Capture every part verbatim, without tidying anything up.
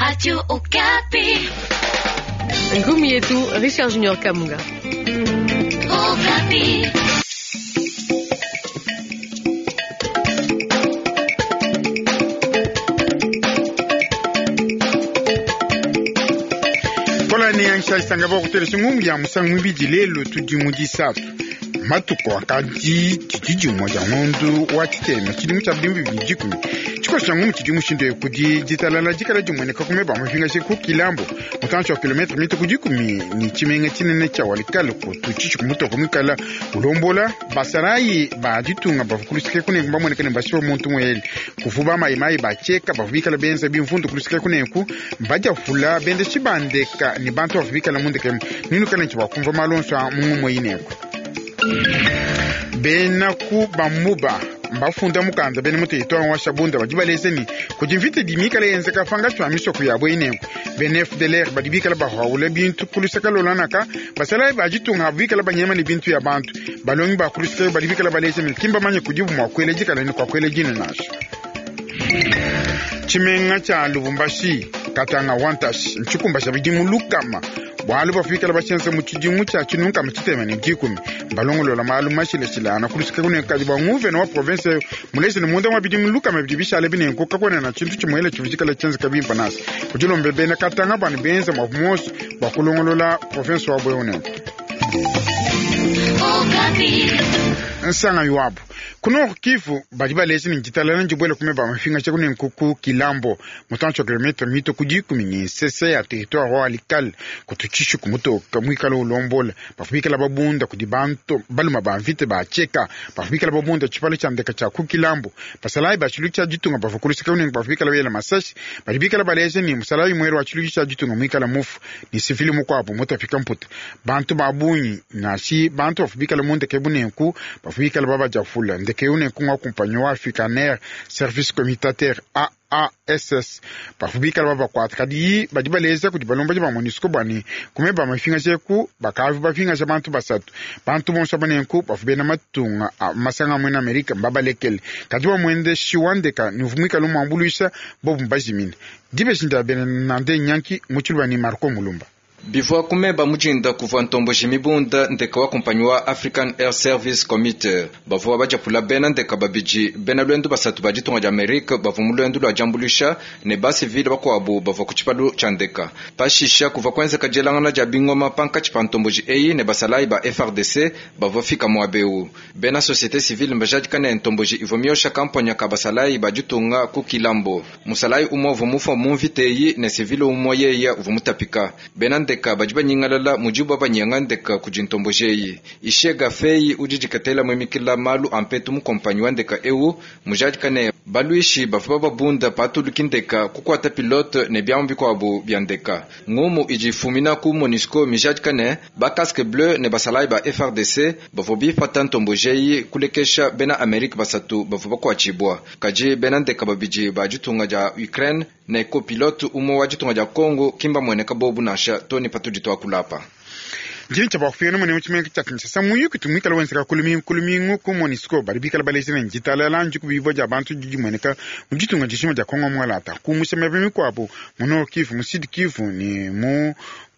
Radio Okapi. Ngumi yetu Richard Junior Kamunga. Okapi. Kolani yanshalisanga bakutelesa ngumu ya musangu mibidi lelo tudi mu disatu matuku akadi tshidi dimue dia ngondu wa tshitema tshidimu tshia bidimbu bibidi dikumi tshikoso tshia ngumu tshidi mushindu kudi ditalala dikala dimueneka kumeba mapingaje ku kilambo mutantshi wa kilometre mita ku dikumi ni tshimenga tshinene tshia walikale kutu tshitshi kumutoko mwikala ulombola basalayi ba ditunga bavua kuluseke kunenku bamueneka ne bashipa muntu muele kuvu bamayimayi bacheka bavua bikala benza bimvundu kuluseke kunenku mbadiavula bende tshibandeka ni bantu bavua bikala mundekemu ninukala ntshi bakumva malonso a mungumu inenku bena ku bamuba mbafunda mukanda bene mu territoire wa Shabunda badi baleze ni kudi mvita idi mikala yenzeka panga tshua misoko yabo inenku bene F D L R badi bikala bahawula bintu kulusaka lolanaka basalayi bajitunga bikala banyema ni bintu ya bantu balongi ba kulusaka badi bikala baleze ni kimba manye kudibu mwa kwele jikala ni kwa kwele jinu nasho tshimenga tsha Lubumbashi Katanga wantash ntshikumba tsha bidimu lukama bwalu bafikala bashenza mu tshidimu tsha tshinunkama tshitema ne dikumi balongolola malu mashilashilana kulusika kunekadi bwa nguvena wa province mulezi ne munda mwa bidimu lukama bidi bishale binenku kakwena na tshintu tshimuele tshivikala tshienzeka bimpa nasi kudilombe bena Katanga banu benza mwa mosi bwa kulongolola province wa bweunenku nsanga yuabu kuno Kivu badi balezi ni ditalala ndibwele kumeba mafinga tshia kunenku ku Kilambo mutantshi wa kilometre mito ku dikumi ni nsese ya territoire wa Walikale kututshishu kumutoka mwikala ulombola bafubikala babunda kudi bantu baluma ba mvita bacheka bafubikala babunda tshipalo tshia ndeka tshia ku Kilambo basalayi ba tshilu tshia ditunga bavua kuluseka kunenku bafubikala bela masashi badi bikala balezi ni musalayi mwere wa tshilu tshia ditunga mwikala mufu ni sivili mukuabu mutafika mputa bantu babunyi nashi bantu bafubikala mundeke bunenku bafubikala babajafula ndeke une kunga kumpanyo wa Afrikaner Service Communautaire A A S S bafubikala babakwata kadi badi baleza kudi balomba ba MONUSCO bwani kumeba mafinga jeku bakavu bafinga ja bantu basatu bantu bonso banenku bafubena matunga masanga mwena Amerika mbabalekele kadi bamwende shiwandeka nivumwikala umwambuluisha bobu mbajimine dibeshinda bene nande nyanki muchilwa ni Marco Mulumba bivua kumeba mujinda kuvua ntomboji mibunda ndeka wa kumpanyi wa African Air Service Committee bavua bajapula bena ndeka babidi bena lwendu basatu ba ditunga dia Amerika bavua mu lwendu lua diambulusha ne basivile bakuabu bavua ku tshipalu tshia ndeka pashisha kuvua kuenzeka dielangana dia bingoma pankatshi pa ntomboji eyi ne basalayi ba F R D C bavua fika muabeu bena société civile mbajadika ne ntomboji ivua miosha kamponya ka basalayi ba ditunga ku Kilambo musalayi umue uvua mufua mu mvita eyi ne sivile umue yeya uvua mutapika bena ndeka badi banyingalala mudibu babanyanga ndeka kudi ntomboji eyi ishega feyi udi dikatela mwemikila malu ampetu mu kompanyi wa ndeka ewu mujadika ne baluishi bavua babunda patuluki ndeka kukwata pilote ne biamu bikuabu bia ndeka ngumu idi ifumina ku MONUSCO mijadika ne ba casque bleu ne basalayi ba F R D C bavua bipata ntomboji eyi kulekesha bena Amerika basatu bavua bakuatshibua kadi bena ndeka babidi ba ditunga dia Ukraine ne copilote umue wa ditunga dia Congo kimba mueneka bobu nansha toni patudi twakulapa njini tsha bakufika mune mutshimenga tshia Kinshasa muyuki tumwikala wenzeka kulumingu kulumingu ku MONUSCO badi bikala balezi ne ditalala nji kubibwa dia bantu didi mueneka mu ditunga dishima dia Kongo mwalata kumusha miaba mikuabu mu Nord Kivu mu Sud Kivu ni mu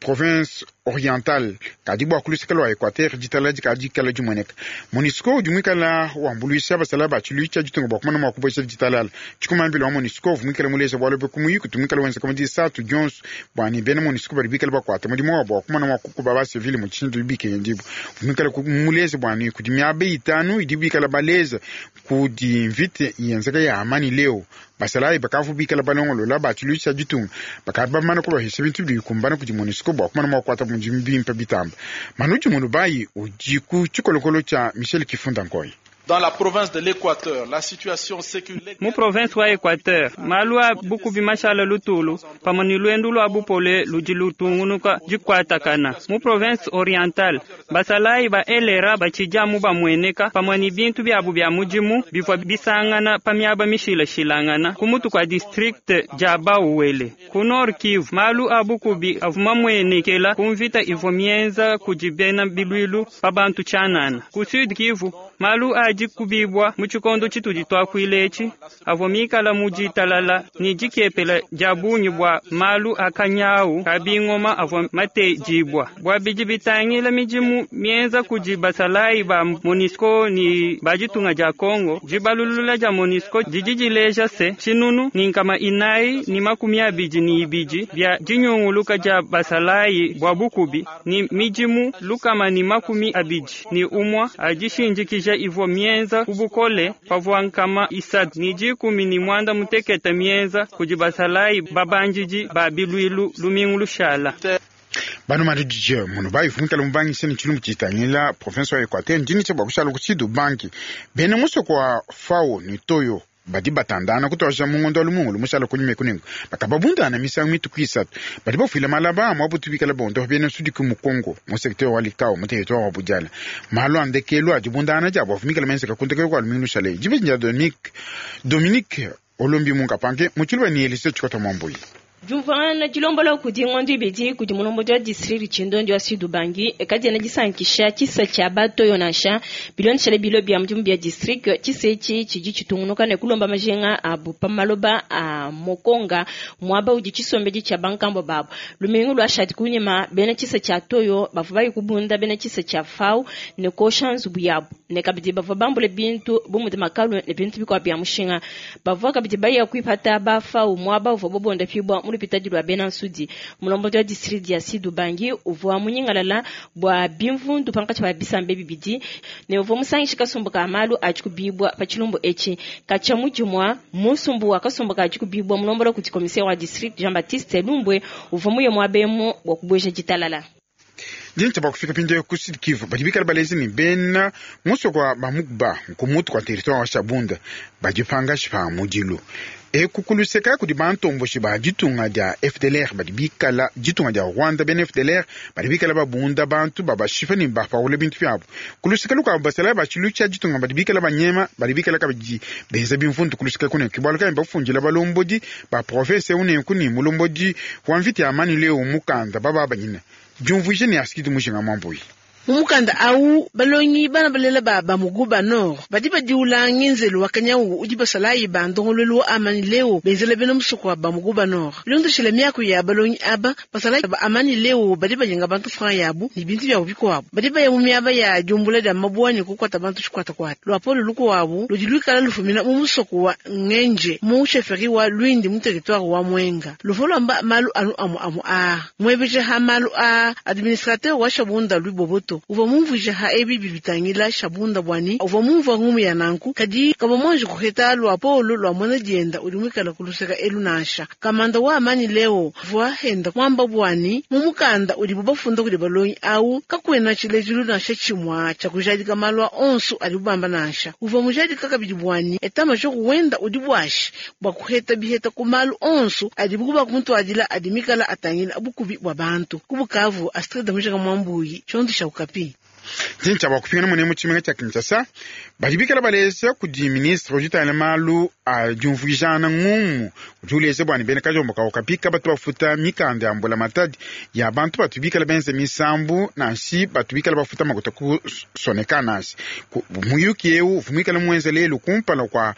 province orientale kadi bua kuluseka lua Equateur ditalala dikadi dikala dimueneka MONUSCO udi muikala wambuluisha basala ba tshiluilu tshia ditunga bua kumana mua kubuesha ditalala tshikumambila wa MONUSCO uvua muikala muleza bualu bue kumuyuki tumwikala wenzeka mu disatu dionso bua ni bena MONUSCO badi bikala bakuata mudimu wabu bua kumana mua kukuba basivile mu tshintu bikendibu uvua muikala muleza bua ni kudi miaba itanu idi bikala baleza kudi mvita yenzeka ya amani leo basalayi bakavu bikala balongolola ba tshiluilu tshia ditunga bakadi bamana kubahisha bintu bikumbana kudi MONUSCO bua kumana mua kukuata mudimu bimpe bitamba manuji mulubayi udi ku tshikolokolo tshia Michel Kifunda Nkoyi. Dans la province de l'Équateur, la situation sécuritaire. Mu province wa Équateur, malu a bukubi mashala lutulu pamwe ni lwendu lwa bupole ludi lutungunuka dikuatakana. Mu province orientale, basalayi ba elera batshijamu bamueneka pamwe ni bintu byabu bya mudimu bivua bisangana pa miaba mishilashilangana ku mutu kwa district dia Bauwele. Ku Nord Kivu, malu a bukubi avua mamuenekela ku mvita ivua mienza kudi bena bilwilu pa bantu tshianana. Ku Sud Kivu, Malu adi kubibwa mu tshikondo tshitudi twakuila etshi avua mikala mu ditalala ni dikepela dia bungi bua malu akanyawu ka bingoma avua matejibwa bua bidi bitangila midimu mienza kudi basalayi ba MONUSCO ni ba ditunga dia Congo. Dibalulula dia MONUSCO didi dileja se tshinunu ni nkama inayi ni makumi abidi ni ibidi bia dinyunguluka dia basalayi bua bukubi ni midimu lukama ni makumi abidi ni umwa adishindikija ivua mienza kubukole pavua nkama isatu ni dikumi ni mwanda muteketa mienza kudi basalayi babandidi ba bilwilu lumingu lushala. Bano madidije muno bayivunkela mubangise ni tshilumbu tshitangila province wa Equateur ndini tsha bua kushala kutsidu banki bene musoko wa Fao ni Toyo badi batandana kutosha mungondo wa lumungulu mushala kunyuma kunengo bakababundana misangu mituku isatu badi bafuila malaba amwe abutubikala bondo bene sudiku mu Congo mu secteur wa Likao mu territoire wa Budiala malu andekelu adibundana diabo afumikala menseka kuntekelo kwa lumingu lushale dibe Dominique Dominique Olombi Munkapange mutshiluba ni Elise Tshikota Mwambuyi. Juvana dilombola kudi ngondo ibidi kudi mulombo wa district Tshindondi wa Sud Ubangi kadiena disankisha tshisa tshia batoyo nansha bilondeshele bilo bia mudimu bia district tshisa etshi tshidi tshitungunuka ne kulomba majenga abu pa maloba a mokonga muaba udi tshisombedi tshia bankambo babo lumingu lwa shati kunyima bena tshisa tshia toyo bavua bayi kubunda bena tshisa tshia fau ne kosha nzubu yabu ne kabidi bavua bambule bintu bu mudi makalu ne bintu bikuabu bia mushinga bavua kabidi baya kuipata ba fau muaba uvua bobonda pibwa lupitadi lwa bena nsudi mulombo wa district ya Sud Ubangi uvua munyingalala bua bimvundu pankatshi pa bisambe bibidi ne uvua musangisha kasumbu ka malu adi kubibwa pa tshilumbu etshi katshia mudimua musumbu wa kasumbu ka adi kubibwa mulombola kudi commissaire wa district Jean Baptiste Lumbwe uvua muye muabemu bua kubueja ditalala. Dinti bakufika pinde ku Sud Kivu badi bikala balezi ni bena musoko wa Bamukba nkumutu kwa territoire wa Shabunda badi pangashi pa mudilu ekukuluseka kudi bantomboshi ba ditunga dia F D L R badi bikala ditunga dia Rwanda bena F D L R badi bikala babunda bantu babashifa ni bapaule bintu byabo kuluseka luka basala bachilu cha ditunga badi bikala banyema badi bikala kabidi benza bimfundu kuluseka kune kibwaluka bafunjila balombodi ba province une kuni mulombodi wa mvita ya amani leo mukanda baba banyina jumvuije ni asikidi mushinga mwambuyi. Mumukanda au balongi bana balela ba bamuguba nord badi badiula ngenzelu wakanyau udi basalayi ba ndongolelu wa amani leo benzela bena musuku wa bamuguba nord bilondeshele miaku ya balongi aba basalayi ba amani leo badi bayenga bantu franc yabu ni bintu byabu bikuabu badi baya mu miaba ya jumbula dia mabuani kukwata bantu tshikwatakwata lwapolo lukuabu ludi luikala lufumina mu musuku wa ngenje mu chefferie wa Lwindi mu territoire wa Mwenga lufolamba malu anu amu amu a mwebeje ha malu a administrateur wa Shabunda Luboboto uva mumvuja ha ebi bibitangila Shabunda bwani uva mumva ngumu ya nanku kadi kaba mwanji kuheta lwa polo lwa mwana dienda uli mwikala kuluseka elu nasha kamanda wa amani leo vwa henda mwamba bwani mumukanda uli bubafunda kuli balonyi au kakwena chilejilu nasha chimwa cha kujadika malwa onsu ali bubamba nasha uva mujadika kabidi bwani etama joku wenda uli bwashi bwa kuheta biheta kumalu onsu ali bukuba kumutwadila adi mikala atangila bukubi bwa bantu kubukavu Astrid Mujanga Mwambuyi chondu sha ukapi. Tincha bakupingana mune mu tshimenga tsha Kinshasa badi bikala balesa kudi ministre ujitana malu a diumvuijana ngumu udi ulesa bwani bene kajombo ka ukapika batu bafuta mikanda ya mbula matadi ya bantu batu bikala benze misambu nansi batu bikala bafuta makuta kusoneka nansi muyuki eu vumikala muenze lelu kumpala kwa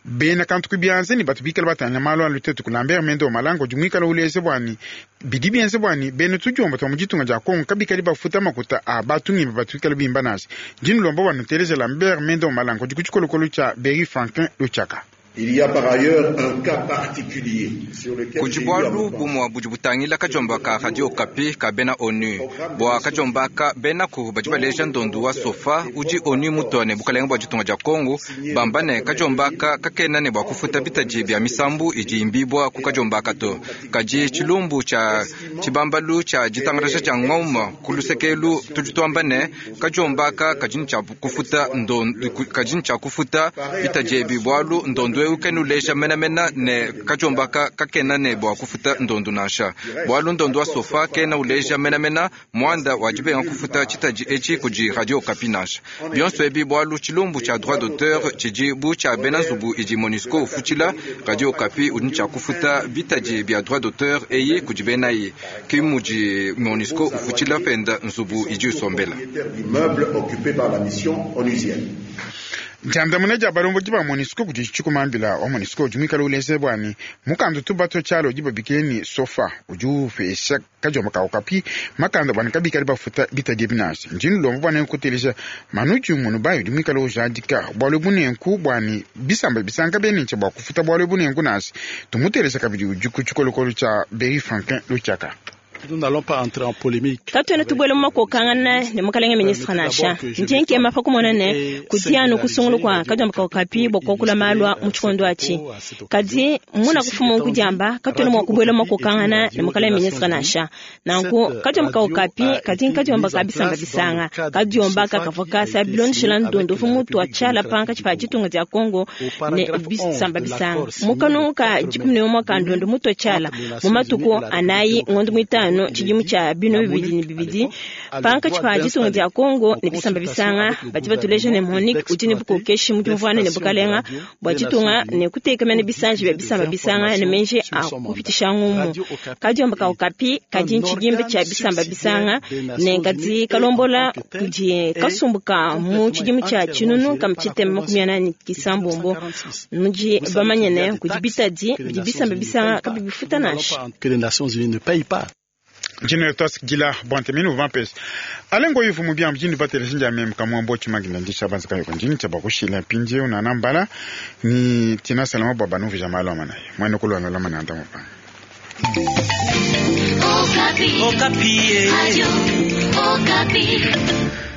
bena kantu kubianze ni batu bikala batanya malu alutetu kulambera mendo malango jumwikala uleze bwani bidi bienze bwani bene tujomba twa mujitunga ja Kongo kabikali bafuta makuta a batu ngimba batu bikala bimba nasi jinu lomba wanu teleze Lambert Mendo Malango jikuchikolokolo cha Berry Franklin Luchaka. Il y a par ailleurs un cas particulier sur lequel kujibwalu bumwa budi butangila kajomba ka Radio Okapi ka bena ONU bwa kajomba ka bena ku badi baleja ndondu wa sofa udi ONU mutone bukalenga bwa ditunga dia Kongo bambane kajomba ka kakena ne bwa kufuta bitaji bya misambu idi imbibwa ku kajomba kato kaji tshilumbu tsha tshibambalu tsha ditangalasha tsha ngoma kulusekelu tudi tuamba ne kajomba ka kajini tsha kufuta ndondu kajini tsha kufuta bitaji ebi bwalu ndondu eu kena uleja menamena ne kadiombaka kakena ne bua kufuta ndondu nansha. Bualu ndondu wa sofa kena uleja menamena muanda wa dibenga kufuta tshitadi etshi kudi Radio Okapi nansha. Bionso ebi bualu tshilumbu tshia droit d'auteur tshidi bu tshia bena nzubu idi MONUSCO ufutshila Radio Okapi udi tshia kufuta bitadi bia droit d'auteur eyi kudi benayi ki mudi MONUSCO ufutshila penda nzubu idi usombela. Ndiandamuna dia balombodi ba MONUSCO kudi tshikumambila wa MONUSCO udi muikale uleze bwani mukanda tubato tshialo udi babikile ni sofa udi upesha kadiomba ka Okapi makanda bwani kabikale bafuta bitadi binasi ndini lombo bwana nkutelesha manuji munu bayo udi muikale ujadika bwalo bunenku bwani bisamba bisanka benenche bwa kufuta bwalo bunenku nasi tumutelesha kabidi udi ku tshikolokolo tshia Berry Franklin Luchaka. Nous n'allons pas entrer en polémique. Katuena tubuela mu makokangana ne mukalenge ministre nansha ndi nkema pa kumona ne kudianu kusungulu kwa kadiomba ka Okapi bua kuakula malwa mu tshikondo atshi kadi muna kufuma kudiamba katuena mua kubuela mu makokangana ne mukalenge ministre nansha nanku kadiomba ka Okapi kadi nkadiomba ka bisamba bisanga kadiomba ka kavua kasa bilondeshela ndondo fu mutu atshiala pankatshi pa ditunga dia Congo ne bisamba bisanga mukanu ka dikumi ne umue ka ndondo mutu atshiala mu matuku anayi ngondo muitanu tshidimu tshia bino bibidi ne bibidi pankatshi pa ditunga dia Congo ne bisamba bisanga badi batuleja ne Monique udi ne bukokeshi mu diumvuana ne bukalenga bua ditunga ne kutekamena bisanji bia bisamba bisanga ne menji a kupitisha ngumu kadiomba ka Okapi kadi ntshidimba tshia bisamba bisanga ne kadi kalombola kudi kasumbuka mu tshidimu tshia tshinunu kama tshitema makumi anani kisambombo nudi bamanye ne kudi bitadi bidi bisamba bisanga kabibifuta nansha. Que les Nations Unies ne payent pas. Njino tos gila bonte minu vampes alengo yifu mubia mjini batele sinja mem kamwa mbochi magina ndisha banza kayo njini chaba kushila pinje una nambala ni tina salama baba nuvi jamalo mana mwene kulwa na lamana anda mpa. Okapi. Okapi. Radio Okapi.